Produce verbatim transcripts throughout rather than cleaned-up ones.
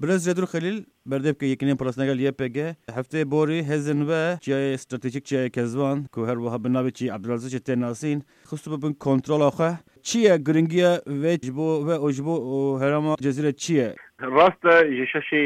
Birêz Cedûr Xelîl, berdevkê Yekîneyên Parastina gel Y P G, hefteyê borî hêzên we çiyayê stratejîk, çiyayê Kezvan, ku her wiha bi navê çiyê Ebdulaziz jî tê nasîn, xistibû bin kontrola xwe. Çi ye giringiya vê ji bo we û ji bo û herêma Cezîrê çi ye? Rast e, ji şeşê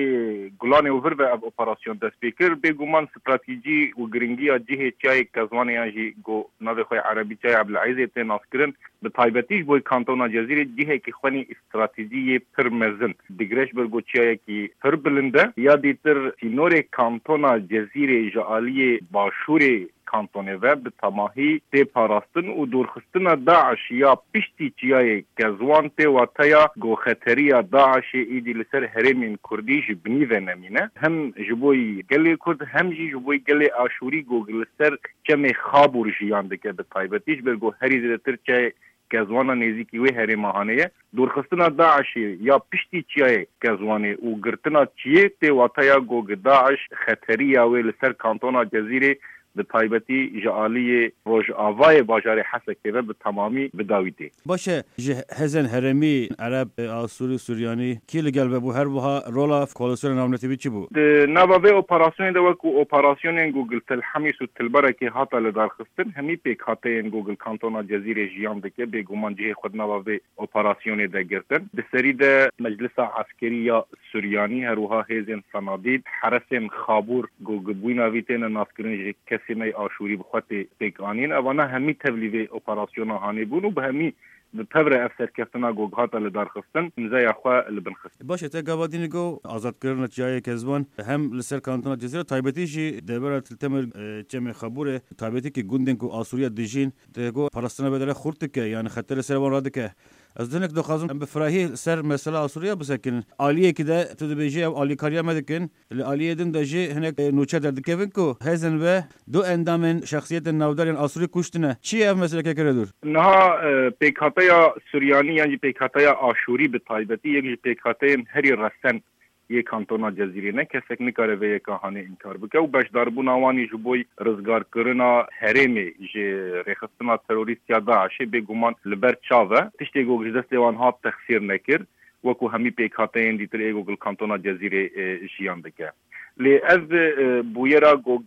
Gulanê û vir ve ev operasyon dest pê kir. Bêguman stratejî û giringiya cihê çiyayê Kezvanê yan jî ku navê xwe yê erebî çiyayê Ebdulezîzê tê naskirin, bi taybetî ji bo kantona Cezîrê cihekî xwenî stratejî yê pir mezin digire, ji ber ku çiyayekî pir bilind e. Ya dîtir sînorê kantona Cezîrê ji aliyê başûrê kantonê ve bi temahî tê parastin û dûrxistina DAIŞ ya piştî çiyayê Kezwan tê wateya ku xeteriya DAIŞê îdî li ser herêmên Kurdî ji binî ve nemîne. Hem ji bo gelê Kurd hem jî ji bo gelê Aşûrî ku li ser çemê Xabûr jiyan dike bi taybetî, ji ber ku herî zêdetir çiyayê Kezwana nêzîkî wê herêma hanê ye. Dûrxistina DAIŞê ya piştî çiyayê Kezwanê û girtina çiyê tê wateya ku DAIŞ xeteriya wê li ser kantona Cezîrê bi taybetî ji aliyê rojavayê bajarê Hesekê ve bi temamî bi dawî tê. Baş e, ji hêzên herêmî, ereb, asûrî, suryanî kî li gel ve bû? Her wiha rola koalîsyona navnetewî çi bû? Di nava vê operasyonê de, wekû operasyonên ku li Tel Hemîs û Til Berekê hate lidarxistin, hemî pêkhateyên ku li kantona Cezîrê jiyan dike, bêguman cihê xwe di nava vê operasyonê de girtin. Di serî de Meclisa Eskerî ya Suryanî, her wiha hêzên Senadîd, heresên Xabûr ku bi bûyîna vî têne naskirin ji kesê me yê Aşûrî bi xwe tê pêkanîn. Evana hemî tevlî vê operasyona hanê bûn û bi hemî bi pevre ev serkeftina ku hate lidarxistin, îmzeya xwe li bin xist. Baş e, te gava dînî got azadkirina çiyayê Kezwan hem li ser kantona Cezîrê, taybetî jî devera Til Temir, e, çemê Xabûrê, taybetî ki gundên ku Asûriya dijîn, te got parastina vê derê xurt dike, yanî xeterê ser wan radike. Ez hinek dixwazim em bi firahî ser mesela Asûriya bisekinin. Aliyekî de tu dibêjî ew alîkariya me dikin, li aliyê din de jî hinek, e, nûçe derdikevin ku hêzên we du endamên şexsiyetên navdar yên Asûrî kuştine. Çi ye ev meseleke kire dûr? Niha, e, pêkhateya Suryanî yan jî pêkhateya Aşûrî bi taybetî yek ji pêkhateyên herî resen yê kantona Cezîrê ne. Kesek nikare vê yeka hanê înkar bike û beşdarbûna wan î ji bo rizgarkirina herêmê ji rêxistina terorîst ya DAIŞê bêguman li ber çav e. Tiştê ku ji destê wan hat texsîr nekir, wekû hemî pêkhateyên dîtir ê ku li kantona Cezîrê, e, jiyan dike. Lê ev, e, bûyera ku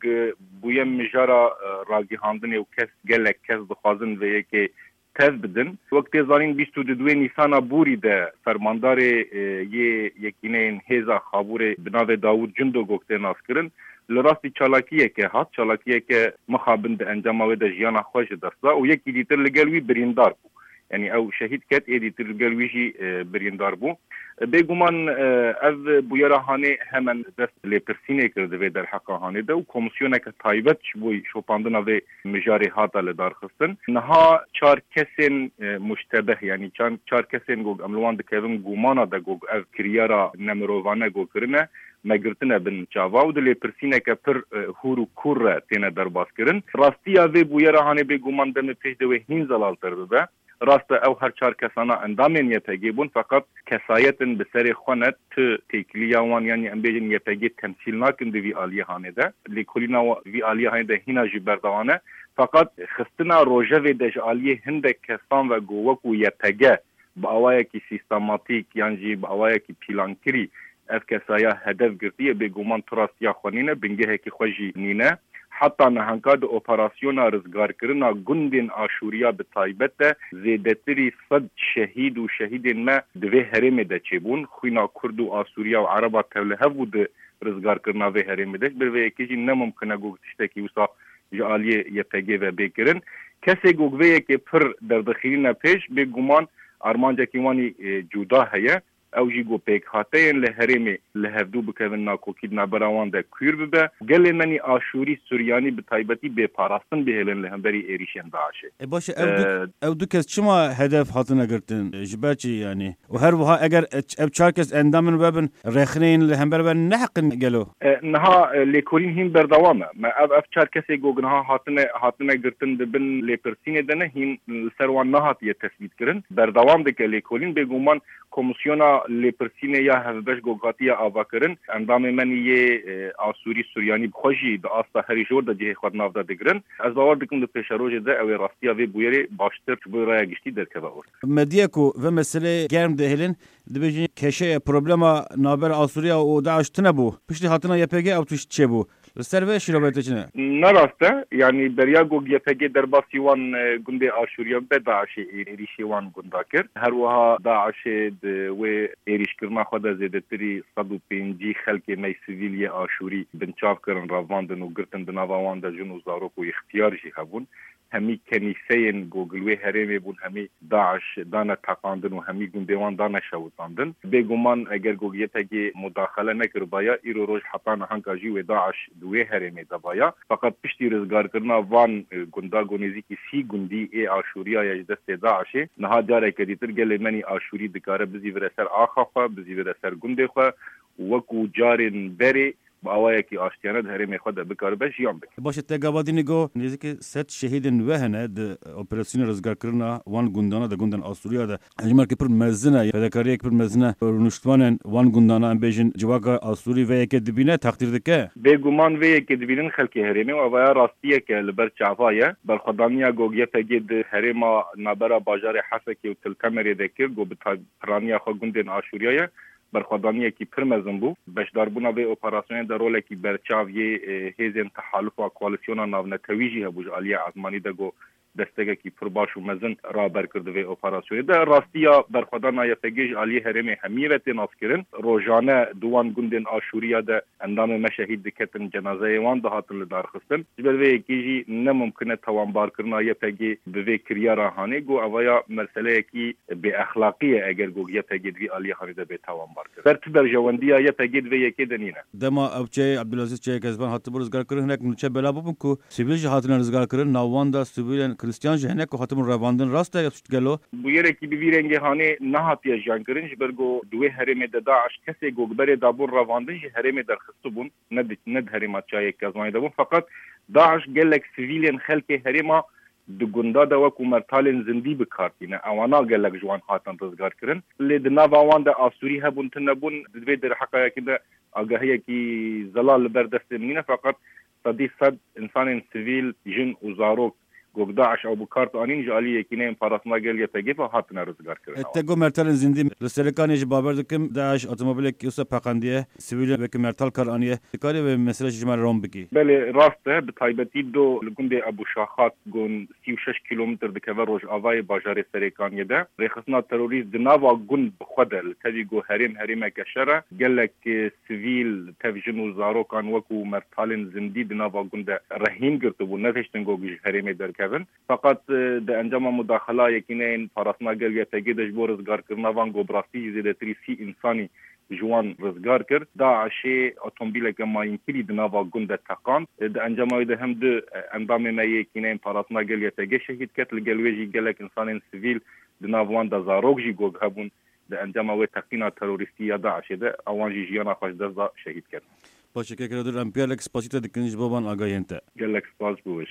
bûye mijara, e, ragihandinê û kes, gelek kes dixwazin vê yekê tev bidin. Wek tê zanîn, bîst û du Nîsana borî de fermandarê, e, yê Yekîneyên Hêza Xabûrê bi navê Dawûd Cindo ku tê naskirin, li rastî çalakiyeke hat, çalakiyeke mixabin di encama wê de jiyana xwe ji dest da û yekî dîtir li gel wî birîndar bû. Yanî ew şehîd ket, ê dîtir li gel wî jî, e, birîndar bû. Bêguman, e, ev bûyera hanê hemen dest lêpirsînê kir di vê derheqa hanê de û komîsyoneke taybet ji bo şopandina vê mijarê hate lidarxistin. Niha çar kesên, e, muştebeh, yanî çar, çar kesên ku em li wan dikevin gumana de ku ev kiryara nemirovane ku kirine, me girtine bin çava û di lêpirsîneke pir, e, hûr û kûr re têne derbas kirin. Rastiya vê bûyera hanê bêguman demê pêş de wê hîn zelaltir bibe. Rast e, ew her çar kesana endamên Y P G bûn, feqet kesayetin bi serê xwe ne, tu têkiliya wan, yanî em bêjin Y P G temsîl nakin di vî aliyê hanê de. Lêkolîna wa-, vî aliyê hanê de hîna jî berdewam e. Feqet xistina rojevê de ji aliyê hindek kesan ve ku wekû Y P G bi awayekî sîstematîk yan jî bi awayekî pîlankirî ev kesaya hedef girtiye, bêguman tu rastiya xwe nîne, bingehekî xwe jî nîne. Heta nihanka di operasyona rizgarkirina gundên Aşûriya bi taybet de zêdetirî sed şehîd û şehîdên me di vê herêmê de çêbûn. Xwîna Kurd û Asûriya û Ereba tevlihev bû di rizgarkirina vê herêmê de. Ji ber vê yekê jî ne mumkin e ku tiştekî wisa ji aliyê Y P G ve bê kirin. Kesê ku vê yekê pir derdixîrîne pêş, bêguman armancekî wanî, e, cuda heye. Ew jî ku pêkhateyên li herêmê li hevdû bikevin nakokî di navbera wan de kûr bibe. Gelê me nî Aşûrî, Suryanî bi taybetî bêparastin bihêlin li hemberî êrîşên DAIŞê. E, baş e, ew du, Ee, ew du kes çima hedef hatine girtin? Ji ber çi yanî? Û her wiha eger e-, ev çar kes endamên we bin, rexneyên li hember we neheqin gelo? E, niha, e, lêkolîn hîn berdewam e. Me ev, ev çar kesê ku niha hatine, hatine girtin di bin lêpirsînê de ne, hîn li ser wan nehatiye tesbît kirin. Berdewam dike lêkolîn, bêguman Komîsyona Lêpirsînê ya hevbeş ku hatiye avakirin, endamê me nî yê, e, Asûrî Suryanî bi xwe jî di asta herî jor de cihê xwe di nav de digirin. Ez bawer dikim di pêşerojê de ew ê rastiya vê bûyerê baştir ji bo raya giştî derkeve ortê. Medya ku vê meseleyê germ dihêlin, dibêjin keşeya problema navbera Asûriya û DAIŞ tune bû. Piştî hatina Y P G ew tişt çêbû. Li ser vê şîrove te çi ne? Ne rast e. Yanî beriya ku Y P G derbasî wan, e, gundê Aşûriya be, DAIŞê ê-, êrîşê wan gunda kir. Her wiha DAIŞê di wê êrîşkirina xwe de zêdetirî sed û pêncî xelkê me sivîl yê Aşûrî binçav kirin, revandin û girtin, di nava wan de jin û zarok û ixtiyar jî hebûn. Hemî kenîseyên ku li wê herêmê bûn, hemî DAIŞ dane teqandin û hemî gundê wan dane şewitandin. Bêguman eger ku Y P G mudaxele nekiribaya, îro roj heta nihanka jî wê DAIŞ di wê herêmê de baya. Feqet piştî rizgarkirina van, e, gunda ku nêzîkî sî gundî ê Aşûriya ye ji destê DAIŞê, niha careke dîtir gelê me nî Aşûrî dikare bizîvire ser axa xwe, bizîvire ser gundê xwe û wekû carên berê bi awayekî aştiyane di herêmê xwe de bikaribe jiyan bike. Baş e, te gava dînî got, nêzîkî sed şehîdên we hene di operasyona rizgarkirina wan gundana de, gundên Asûriya de. Hejmarkê pir mezin e, fedakariyek pir mezin e. Rûniştvanên wan gundana, em bêjin, civaka Asûrî vê yekê dibîne, teqdîr dike? Bêguman vê yekê dibînin xelkê herêmê û evaya rastiyek e li ber çava ye. Berxwedaniya ku Y P G di herêma nabera bajarê Hesekê û Til Temerê de kir, ku bi tay-, piraniya xwe gundên Aşûriya ye. Berxwedaniyekî pir mezin bû. Beşdarbûna vê operasyonê de rolekî berçav yê, e, hêzên tehalufa koalîsyona navnetewî jî hebû ji aliyê ezmanî de, ku destekekî pir baş û mezin raber kir di vê operasyonê de. Rastiya berxwedana Y P G ji aliyê herêmê hemiyê ve tê naskirin. Rojane di wan gundên Aşûriya de endamê me şehîd diketin, cenazeyê wan dihatin lidarxistin. Ji ber vê yekê jî ne mumkin e tawanbarkirina Y P G bi vê kiryara hanê, ku evaya meseleyekî bêexlaqî ye eger ku Y P G di vî aliyê hanê de bê tawanbarkirin. Ber tu berjewendiya Y P G di vê yekê de nîne. Dema ew çeyê Ebdulaziz Çeyê Kezban hatibû rizgarkirin, hinek nûçe belav bûbûn ku sivîl jî hatine rizgarkirin. Nav wan de sivîlên Kristiyan jî hene ku hatibûn revandin. Rast e ev tişt gelo? Bûyerekî bi vî rengê hanê nehatiye jiyankirin, ji ber ku di wê herêmê de DAIŞ kesê ku berê dabûn revandin ji herêmê derxistibûn, ne di, ne di herêma Çayê Kezbanê de bûn. Feqet DAIŞ gelek sivîlên xelkê herêma di gunda de wekû mertalên zindî bi kar tîne. Ewana gelek ji wan hatin rizgar kirin. Lê di nava wan de Asûrî hebûn, tune bûn. Di vê derheqayekî de agahiyekî zelal li ber destê min nîne, feqet sedî sed insanên sivîl, jin û zarok, ku DAIŞ ew bi kar anîn, ji alî Yekîneyên Parastina Gel Y P G ve hatine rizgarkirin. E, te got mertalên zindî. Li Serêkanê jî bawer dikim, DAIŞ otomobilek wisa peqandiye, sivîlên wekî mertal kar aniye. Dikarî vê mesele ji me re rom bikî? Belê, rast e. Bi taybetî do li gundê Ebû Şaxat, ku sî û şeş kîlometr dikeve rojavayê bajarê Serêkaniyê de, rêxistina terorîst di nava gund bi xwe de, li tevî ku herêm herêmeke şer e, gelek, e, sivîl, tev jin û zarokan wekû mertalên zindî di nava gund de rehîn girtibû, nedihiştin ku ji herêmê derkevin. Feqet, e, di encama mudaxila Yekîneyên Parastina Gel Y P G de ji bo rizgarkirina van, ku bi rastî jî zêdetirî sî însanî ji wan rizgar kir. DAIŞê otomobîleke mayînkirî di nava gund de teqand. E, di encama wê de hem du, e, endamê me yê Yekîneyên Parastina Gel Y P G şehîd ket, li gel wê jî gelek însanên sivîl, di nav wan de zarok jî ku hebûn, di encama wê teqîna terorîstî ya DAIŞê de, ewan jî jiyana xwe ji dest da, şehîd ket. Baş e, Kekredir, em gelek spasî te dikin ji bo van agahiyên te. Gelek spas bo we.